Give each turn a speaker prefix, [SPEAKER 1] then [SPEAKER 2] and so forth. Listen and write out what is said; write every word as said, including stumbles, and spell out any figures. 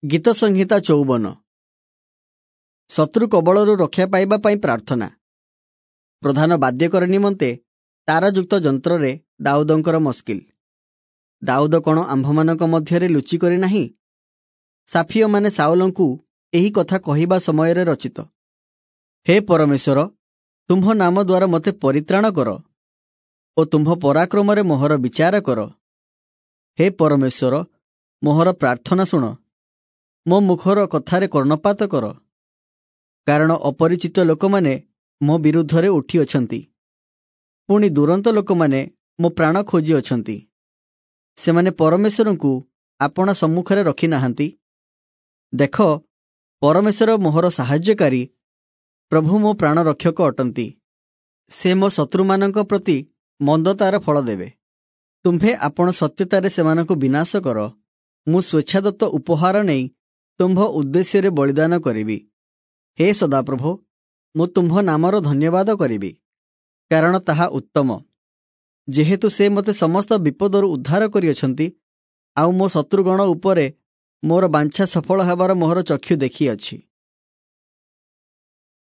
[SPEAKER 1] ଗୀତସଂହିତା ଚଉବନ। ଶତ୍ରୁ କବଳରୁ ରକ୍ଷା ପାଇବା ପାଇଁ ପ୍ରାର୍ଥନା। ପ୍ରଧାନ ବାଦ୍ୟକର ନିମନ୍ତେ ତାରଯୁକ୍ତ ଯନ୍ତ୍ରରେ ଦାଉଦଙ୍କର ମସ୍କିଲ। ଦାଉଦ କ'ଣ ଆମ୍ଭମାନଙ୍କ ମଧ୍ୟରେ ଲୁଚିକରି ନାହିଁ? ସାଫିୟମାନେ ସାଉଲଙ୍କୁ ଏହି କଥା କହିବା ସମୟରେ ରଚିତ। ହେ ପରମେଶ୍ୱର, ତୁମ୍ଭ ନାମ ଦ୍ୱାରା ମୋତେ ପରିତ୍ରାଣ କର ଓ ତୁମ୍ଭ ପରାକ୍ରମରେ ମୋହର ବିଚାର କର। ହେ ପରମେଶ୍ୱର, ମୋହର ପ୍ରାର୍ଥନା ଶୁଣ, ମୋ ମୁଖର କଥାରେ କର୍ଣ୍ଣପାତ କର। କାରଣ ଅପରିଚିତ ଲୋକମାନେ ମୋ ବିରୁଦ୍ଧରେ ଉଠିଅଛନ୍ତି, ପୁଣି ଦୂରନ୍ତ ଲୋକମାନେ ମୋ ପ୍ରାଣ ଖୋଜିଅଛନ୍ତି। ସେମାନେ ପରମେଶ୍ୱରଙ୍କୁ ଆପଣା ସମ୍ମୁଖରେ ରଖିନାହାନ୍ତି। ଦେଖ, ପରମେଶ୍ୱର ମୋହର ସାହାଯ୍ୟକାରୀ, ପ୍ରଭୁ ମୋ ପ୍ରାଣ ରକ୍ଷକ ଅଟନ୍ତି। ସେ ମୋ ଶତ୍ରୁମାନଙ୍କ ପ୍ରତି ମନ୍ଦତାର ଫଳ ଦେବେ। ତୁମ୍ଭେ ଆପଣ ସତ୍ୟତାରେ ସେମାନଙ୍କୁ ବିନାଶ କର। ମୁଁ ସ୍ୱେଚ୍ଛାଦତ୍ତ ଉପହାର ନେଇ ତୁମ୍ଭ ଉଦ୍ଦେଶ୍ୟରେ ବଳିଦାନ କରିବି। ହେ ସଦାପ୍ରଭୁ, ମୁଁ ତୁମ୍ଭ ନାମର ଧନ୍ୟବାଦ କରିବି, କାରଣ ତାହା ଉତ୍ତମ। ଯେହେତୁ ସେ ମୋତେ ସମସ୍ତ ବିପଦରୁ ଉଦ୍ଧାର କରିଅଛନ୍ତି, ଆଉ ମୋ ଶତ୍ରୁଗଣ ଉପରେ ମୋର ବାଞ୍ଛା ସଫଳ ହେବାର ମୋହର ଚକ୍ଷୁ ଦେଖିଅଛି।